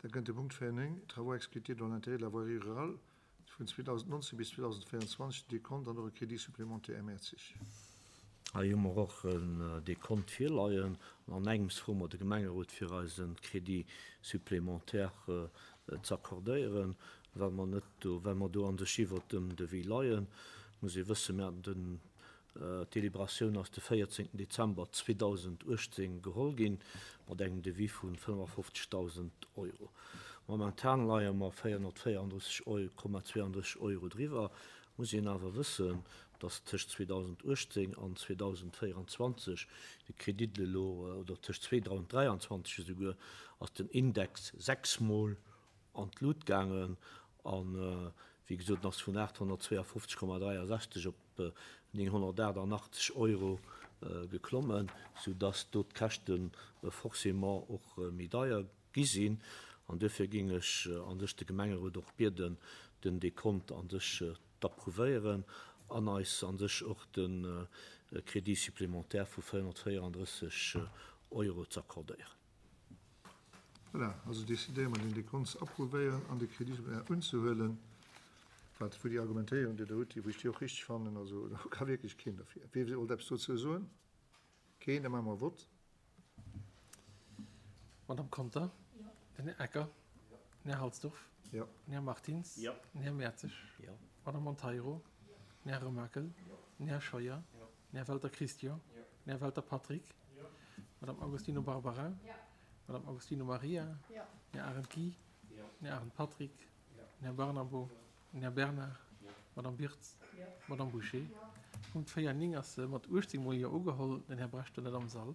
Da kënnt de Punkt 4,9, Travaux exécutés dans l'intérêt de la voirie rurale vun 2019 bis 2024, Dekont an och e Crédit supplémentaire. Här Mertzig. Hei hu mer och en Dekont virleien. An an engems froe mer de Gemengerot fir eis e Crédit supplémentaire ze accordéieren, well mer net do, well mer do an sech iwwert dem Devis leien. Muss ee wëssen, mir haten den D'Deliberatioun ass de 14 Dezember 2018 geholl ginn, mat engem Devis vu 55.000 Euro. Momentan leie mer 434,32 Euro driwwer. Muss een awer wëssen, datt tëscht 2018 an 2024 de Kredit elo, oder tëscht 2023 esouguer, ass den Index sechsmol an d'Lut gaangen an, wéi gesot, en ass vun 852,63 op 988 Euro geklommen, soudass do d'Käschte forcément och méi deier gi sinn. An duerfir géing ech a sech de Gemengerot och bieden, den Dekont a sech d'approuvéieren an eis a sech och de Crédit supplémentaire vu 434 Euro z'accordéieren. Voilà, also decidéiere mer, den Dekont ze approuvéieren an de Crédit supplémentaire unzehuelen. Wat, wou déi Argumentéierung, déi Der hutt, déi, wou ech déi och richtig fannen, also do ka wierklech keen derfir. Wee wollt eppes dozou soen? Keen? Da maache mer e Vott. Madame Conter? Den Här Ecker? Den Här Halsdorf? Jo. Den Här Martins? Jo. Den Här Mertzig? Jo. Madame Monteiro? Den Här Remakel? Den Här Scheuer? Den Här Welter Christian? Den Här Welter Patrick? Madame Agostino Barbara? Madame Agostino Maria? Den Här Arendt Guy? Den Här Arendt Patrick? Den Här Barnabo? Den Här Bernard? Madame Birtz? Madame Bouché? Punkt 4, 9 ass mat 18 mol Jo ugeholl. Den Här Brecht war net am Sall.